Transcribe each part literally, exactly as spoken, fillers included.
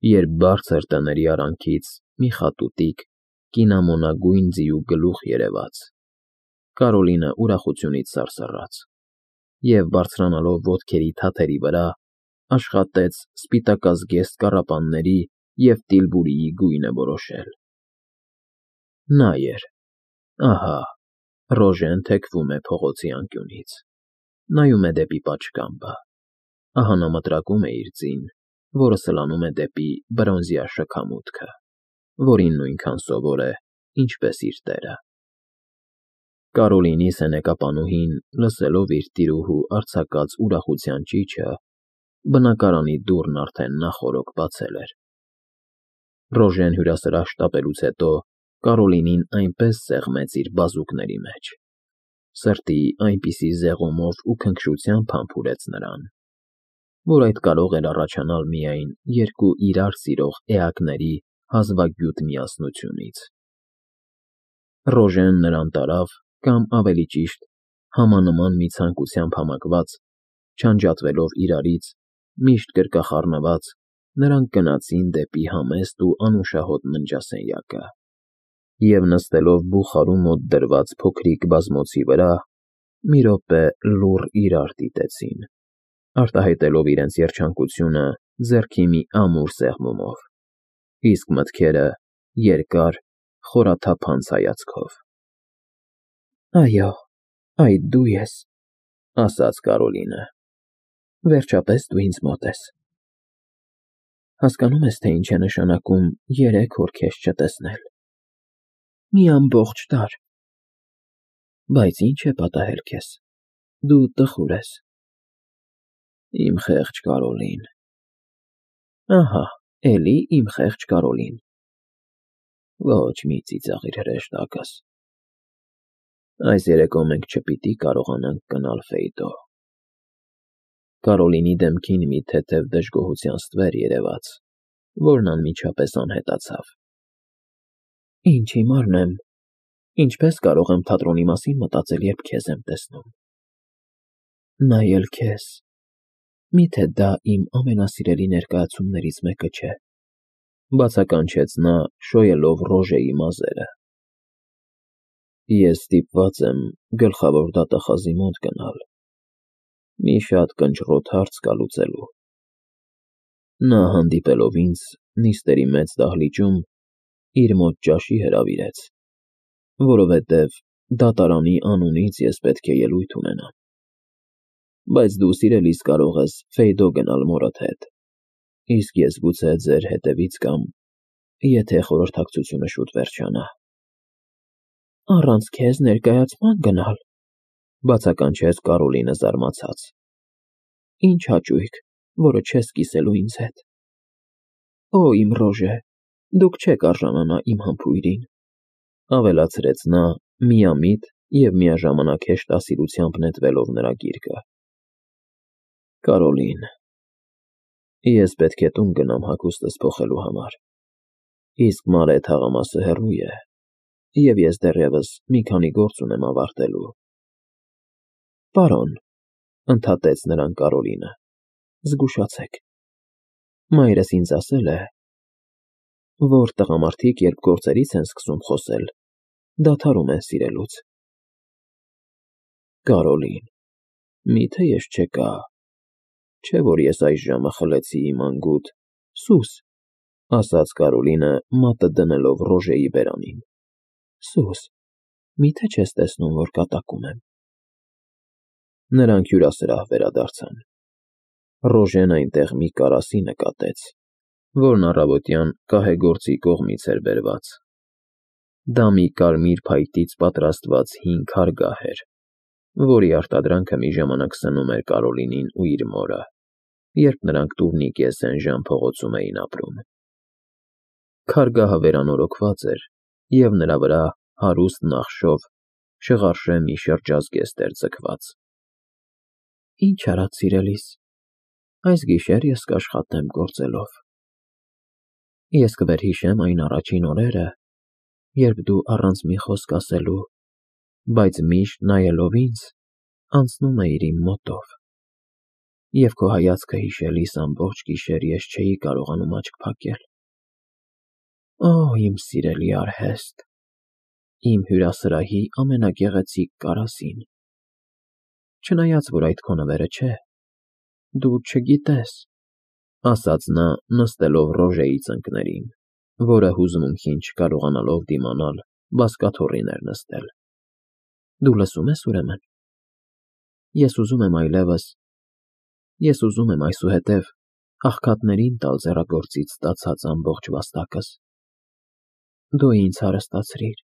երբ բարձր տների արանքից մի խատուտիկ, կինամոնագույն ձիու գլուխ երևաց, Կարոլինը ուրախությունից սարսռաց և, բարձրանալով ոտքերի թաթերի վրա, աշխատեց սպիտակազգեստ կառապանների և տիլբուրիի գույնը որոշել։ Նա էր, ահա, Ռոժեն թեքվում է փողոցի անկյունից, նայում է դեպի պատշգամբը, ահա նա մտրակում է իր ձին, որը սլանում է դեպի բրոնզյա շքամուտքը, որին նույնքան սովոր է, ինչպես իր տերը։ Կարոլինի սենեկապանուհին, լսելով իր տիրուհու արձակած ուրախության ճիչը, բնակարանի դուռն արդեն նախօրոք բացել էր։ Ռոժեն հյուրասրահ շտապելուց հետո Կարոլինին այնպես սեղմեց իր բազուկների մեջ, սրտի այնպիսի զեղումով ու քնքշությամբ համբուրեց նրան, որ այդ կարող էր առաջանալ միայն երկու իրար սիրող էակների հազվագյուտ միասնությունից։ Ռոժեն նրան տարավ կամ, ավելի ճիշտ, համանման մի ցանկությամբ համակված, չանջատվելով իրարից, միշտ գրկախառնված, նրանք գնացին դեպի համեստ ու անուշահոտ ննջասենյակը և, նստելով բուխարու մոտ դրված փոքրիկ բազմոցի վրա, մի րոպե լուռ իրար դիտեցին, արտահայտելով իրենց երջանկությունը ձեռքի մի ամուր սեղմումով, իսկ մտքերը՝ երկար, խորաթափանց հայացքով։ ֊ Այո, այդ դու ես,֊ ասաց Կարոլինը,֊ վերջապես դու ինձ մոտ ես… Հասկանո՞ւմ ես, թե ինչ է նշանակում երեք օր քեզ չտեսնել… մի ամբողջ դար… Բայց ի՞նչ է պատահել քեզ… դու տխուր ես… Իմ խեղճ Կարոլին… Ահա, էլի իմ խեղճ Կարոլին… Ոչ, մի ծիծաղիր հրեշտակս… Այս երեկո մենք չպիտի կարողանանք գնալ Ֆեյտո… Կարոլինի դեմքին մի թեթև դժգոհության ստվեր երևաց, որն անմիջապես անհետացավ։ ֊ Ինչ հիմարն եմ… Ինչպես կարող եմ թատրոնի մասին մտածել, երբ քեզ եմ տեսնում… Նայել քեզ… Մի՞թե դա իմ ամենասիրելի ներկայացումներից մեկը չէ,֊ բացականչեց նա՝ շոյելով Ռոժեի մազերը։ Ես ստիպված եմ գլխավոր դատախազի մոտ գնալ, մի շատ կնճռոտ հարց կա լուծելու… Նա, հանդիպելով ինձ նիստերի մեծ դահլիճում, իր մոտ ճաշի հրավիրեց, որովհետև դատարանի անունից ես պետք է ելույթ ունենամ… Բայց դու, սիրելիս, կարող ես Ֆեյդո գնալ մորդ հետ, իսկ ես գուցե ձեր հետևից կամ, եթե խորհրդակցությունը շուտ վերջանա… ֊ Առանց քեզ ներկայացման գնալ,֊ բացականչեց Կարոլինը զարմացած։֊ Ինչ հաճույք, որը չես կիսելու ինձ հետ… Օ, իմ Ռոժե, դուք չեք արժանանա իմ համբույրին,֊ ավելացրեց նա, միամիտ և միաժամանակ հեշտասիրությամբ նետվելով նրա գիրկը։ Կարոլին… Ես պետք է տուն գնամ հագուստս փոխելու համար, իսկ Մարե թաղամասը հեռու է, և ես դեռևս մի քանի գործ ունեմ ավարտելու… ֊ Պարոն,֊ ընդհատեց նրան Կարոլինը,֊ զգուշացեք… Մայրս ինձ ասել է, որ տղամարդիկ, երբ գործերից են սկսում խոսել, դադարում են սիրելուց… Կարոլին… Մի՞թե ես չեկա… Չէ՞ որ ես այժմը խլեցի իմ անգութ… Սուս,֊ ասաց Կարոլինը, մատը դնելով Ռոժեի բերանին,֊ Սուս… Մի՞թե չես տեսնում, որ կատակում եմ… Նրանք հյուրասրահ վերադարձան։ Ռոժեն այնտեղ մի կարասի նկատեց, որն առավոտյան կահեգործի կողմից էր բերված։ Դա մի կարմիր փայտից պատրաստված հին քարգահ էր, որի արտադրանքը մի ժամանակ սնում էր Կարոլինին ու իր մորը, երբ նրանք Տուռնիկե Սեն֊Ժան փողոցում էին ապրում։ Քարգահը վերանորոգված էր, և նրա վրա հարուստ նախշով շղարշե մի շրջազգեստ էր ձգված։ ֊ Ինչ արած, սիրելիս, այս գիշեր ես կաշխատեմ գործելով… Ես կվերհիշեմ այն առաջին օրերը, երբ դու առանց մի խոսք ասելու, բայց միշտ նայելով ինձ, անցնում էիր իմ մոտով… Եվ քո հայացքը հիշելիս ամբողջ գիշեր ես չէի կարողանում աչք փակել։ Օ, իմ սիրելի արհեստ, իմ հյուրասրահի ամենագեղեցիկ կարասին։ Չնայած որ այդ քո նվերը չէ, դու չգիտես, ասաց նա նստելով Ռոժեի ծնկներին, որը հուզմունքին չկարողանալով դիմանալ, բազկաթոռին էր նստել։ Դու լսում ես ուրեմն։ Ես ուզում եմ այլևս, ես ուզում եմ այսուհետև աղքատներին տալ ձեռագործից ստացած ամբողջ վաստակս։ Դու ինձ հարստացրիր։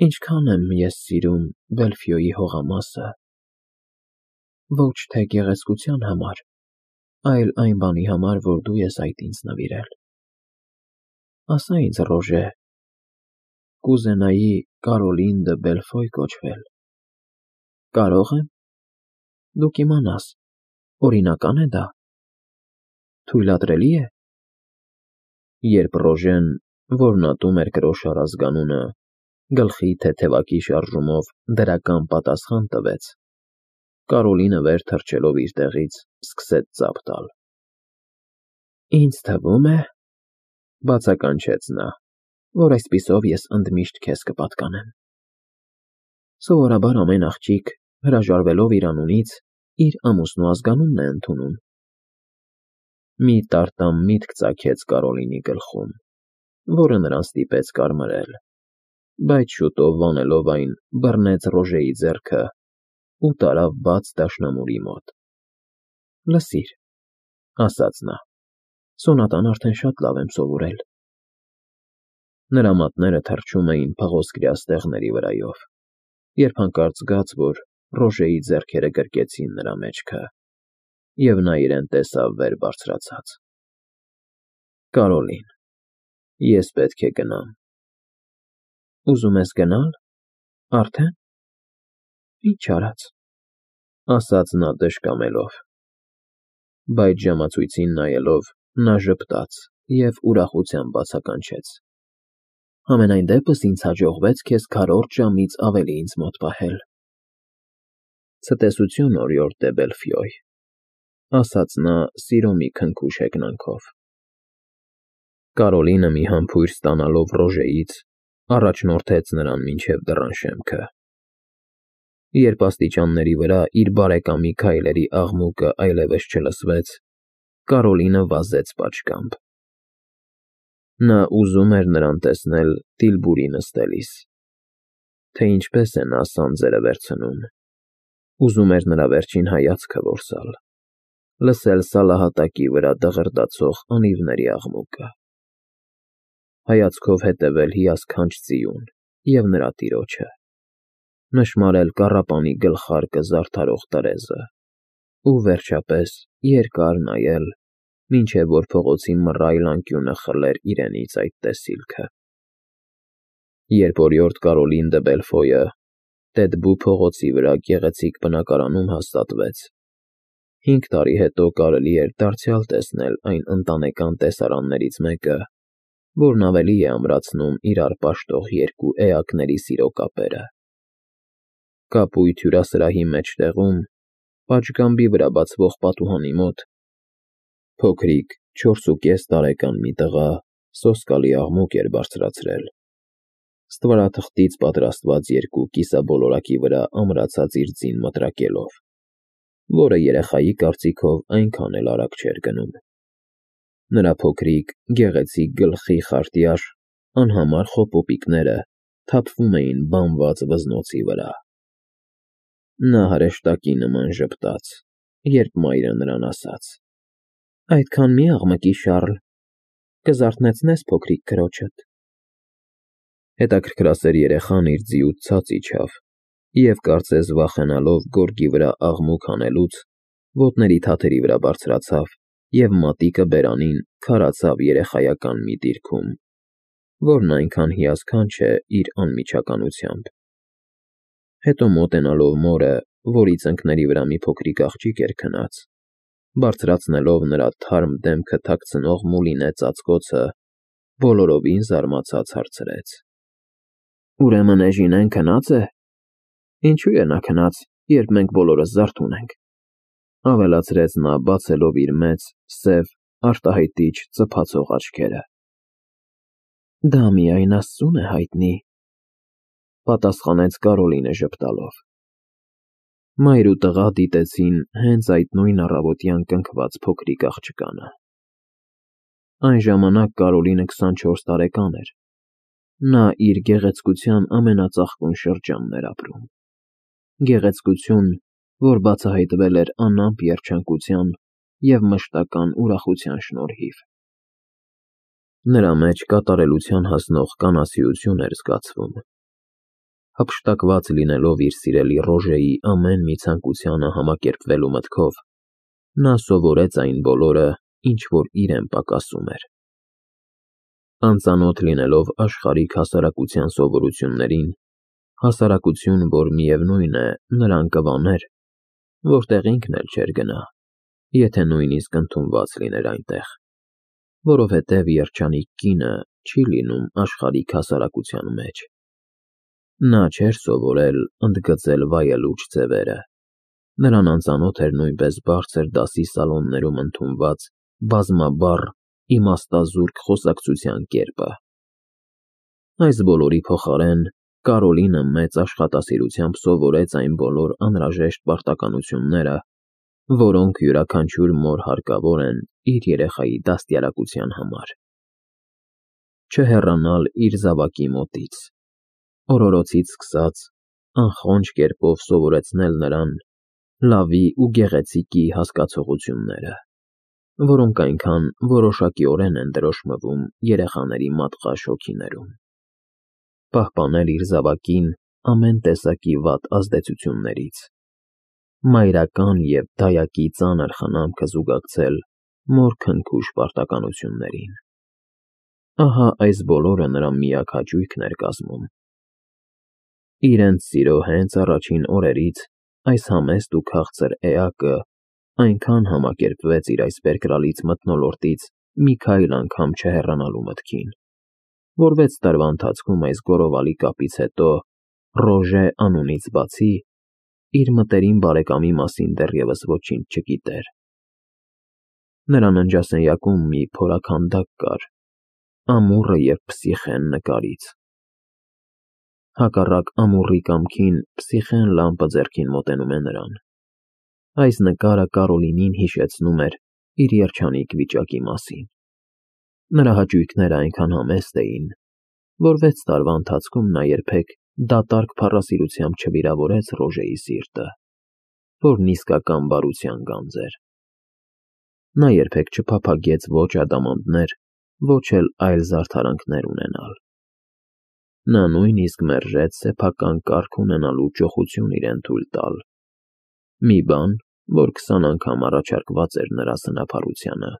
Ինչքան եմ ես սիրում Բելֆիոյի հողամասը, ոչ թե գեղեցկության համար, այլ այն բանի համար, որ դու ես այդ ինձ նվիրել։ Ասա ինձ, Ռոժե, կուզենայի Կարոլին դը Բելֆոյ կոչվել։ Կարո՞ղ եմ։ Դու կիմանաս, օրինական է դա։ Թույլատրելի է։ Երբ Ռոժեն, որն ատում էր կրոշ առազգանունը, գլխի թեթևակի շարժումով դրական պատասխան տվեց, Կարոլինը վեր թռչելով իր տեղից սկսեց ծափ տալ։ Ինձ թվում է, բացականչեց նա, որ այսպիսով ես ընդմիշտ քեզ կպատկանեմ։ Սովորաբար ամեն աղջիկ, հրաժարվելով իր անունից, իր ամուսնու ազգանունն է ընդունում։ Մի տարտամ միտք ծագեց Կարոլինի գլխում, որը նրան ստիպեց կարմրել, բայց շուտով վանելով այն, բռնեց Ռոժեի ձեռքը ու տարավ բաց դաշնամուրի մոտ։ Լսիր, ասաց նա, սոնատան արդեն շատ լավ եմ սովորել։ Նրա մատները թռչում էին փղոսկրյա ստեղների վրայով, երբ հանկարծ զգաց, որ Ռոժեի ձեռքերը գրկեցին նրա մեջքը, և նա իրեն տեսավ վեր բարձրացած։ Կարոլին, ես պետք է գնամ։ Ուզում ես գնալ, արդեն։ Ինչ արած, ասաց նա դժկամելով, բայց ժամացույցին նայելով նա ժպտաց և ուրախությամբ բացականչեց. Համենայն դեպս ինձ հաջողվեց քեզ քառորդ ժամից ավելի ինձ մոտ պահել։ Ցտեսություն, օրիորդ դե Բելֆիոյ, ասաց նա սիրո մի քնքուշ հեգնանքով։ Կարոլինը մի համբույր ստանալով Ռոժեից, առաջնորդեց նրան մինչև դռան շեմքը։ Երբ աստիճանների վրա իր բարեկամի քայլերի աղմուկը այլևս չլսվեց, Կարոլինը վազեց պատշգամբ։ Նա ուզում էր նրան տեսնել Տիլբուրի նստելիս, թե ինչպես է նա սանձերը վերցնում, ուզում էր նրա վերջին հայացքը որսալ, լսել սալահատակի վրա դղրդացող անիվների աղմուկը, հայացքով հետևել հիասքանչ ձիուն և նրա տիրոջը, նշմարել կառապանի գլխարկը զարդարող տրեզը ու, վերջապես, երկար նայել, մինչև որ փողոցի մռայլ անկյունը խլեր իրենից այդ տեսիլքը։ Երբ օրիորդ Կարոլին դը Բելֆոյը Տետբու փողոցի վրա գեղեցիկ բնակարանում հաստատվեց, հինգ տարի հետո կարելի էր դարձյալ տեսնել այն ընտանեկան տեսարաններից մեկը, որն ավելի է ամրացնում իրար պաշտող երկու էակների սիրո կապերը։ Կապույտ հյուրասրահի մեջտեղում, պատշգամբի վրա բացվող պատուհանի մոտ, փոքրիկ չորսուկես տարեկան մի տղա սոսկալի աղմուկ էր բարձրացրել, ստվարաթղթից պատրաստված երկու կիսաբոլորակի վրա ամրացած իր ձին մտրակելով, որը երեխայի կարծիքով այնքան էլ արագ չէր գնում։ Նրա փոքրիկ, գեղեցիկ գլխի խարտյար, անհամար խոպոպիկները թափվում էին բամված վզնոցի վրա։ Նա հրեշտակի նման ժպտաց, երբ մայրը նրան ասաց. Այդքան մի աղմկի, Շառլ, կզարթնեցնես փոքրիկ քրոջդ։ Հետաքրքրասեր երեխան իր ձիուց ցած իջավ և, կարծես վախենալով գորգի վրա աղմուկ հանելուց, ոտների թաթերի վրա բարձրացավ և մատիկը բերանին քարացավ երեխայական մի դիրքում, որն այնքան հիասքանչ է իր անմիջականությամբ։ Հետո մոտենալով մորը, որի ծնկների վրա մի փոքրիկ աղջիկ էր քնած, բարձրացնելով նրա թարմ դեմքը թաքցնող մուլինե ծածկոցը, բոլորովին զարմացած հարցրեց. Ուրեմն Էժինեն քնա՞ծ է։ Ինչու է նա քնած, երբ մենք բոլորս զարթուն ենք։ Ավելացրեց նա, բացելով իր մեծ, սև, արտահայտիչ ծփացող աչքերը։ Դա միայն Աստծուն է հայտնի, պատասխանեց Կարոլինը ժպտալով։ Մայր ու տղա դիտեցին հենց այդ նույն առավոտյան կնքված փոքրիկ աղջկանը։ Այն ժամանակ Կարոլինը քսանչորս տարեկան էր։ Նա իր գեղեցկության ամենածաղկուն շրջանն էր ապրում։ Գեղեցկություն, որ բացահայտվել էր անամպ երջանկության և մշտական ուրախության շնորհիվ։ Նրա մեջ կատարելության հասնող կանացիություն էր զգացվում։ Հափշտակված լինելով իր սիրելի Ռոժեի ամեն մի ցանկությանը համակերպվելու մտքով, նա սովորեց այն բոլորը, ինչ որ իրեն պակասում էր։ Անծանոթ լինելով աշխարհիկ հասարակության սովորություններին, հասարակություն, որ միևնույն է, նրան կվաներ, որտեղ ինքն էլ չէր գնա, եթե նույնիսկ ընդունված լիներ այնտեղ, որովհետև երջանիկ կինը չի լինում աշխարհիկ հասարակության մեջ։ Նա չէր սովորել ընդգծել վայելուչ ձևերը, նրան անծանոթ էր նույնպես բարձր դասի սալոններում ընդունված բազմաբառ, իմաստազուրկ խոսակցության կերպը։ Այս բոլորի փոխարեն Կարոլինը մեծ աշխատասիրությամբ սովորեց այն բոլոր անհրաժեշտ պարտականությունները, որոնք յուրաքանչյուր մոր հարկավոր են իր երեխայի դաստիարակության համար։ Չհեռանալ իր զավակի մոտից, օրորոցից սկսած, անխոնջ կերպով սովորեցնել նրան լավի ու գեղեցիկի հասկացողությունները, որոնք այնքան որոշակիորեն են դրոշմվում երեխաների մատղաշ հոգիներում։ Պահպանել իր զավակին ամեն տեսակի վատ ազդեցություններից, մայրական և դայակի ծանր խնամքը զուգակցել մոր քնքուշ պարտականություններին։ Ահա այս բոլորը նրա միակ հաճույքն էր կազմում։ Իրենց սիրո հենց առաջին օրերից այս համեստ ու քաղցր էակը այնքան համակերպվեց իր այս բերկրալից մթնոլորտից մի քայլ անգամ չհեռանալու մտքին, որ վեց տարվա ընթացքում այս գոռովալի կապից հետո Ռոժե անունից բացի իր մտերիմ բարեկամի մասին դեռևս ոչինչ չգիտեր։ Նրա ննջասենյակում մի փորաքանդակ կար, ամուռը և Փսիխեն նկարից։ Հակառակ ամուռի կամքին Փսիխեն լամպը ձեռքին մոտենում է նրան։ Այս նկարը Կարոլինին հիշեցնում էր իր երջանիկ վիճակի մասին։ Նրա հաճույքները այնքան համեստ էին, որ վեց տարվա ընթացքում նա երբեք դատարկ փառասիրությամբ չվիրավորեց Ռոժեի սիրտը, որն իսկական բարության գանձ էր։ Նա երբեք չփափագեց ոչ ադամանդներ, ոչ էլ այլ զարդարանքներ ունենալ։ Նա նույնիսկ մերժեց սեփական կարգ ունենալու ճոխություն իրեն թույլ տալ, մի բան, որ քսան անգամ առաջարկված էր նրա սնափառությանը։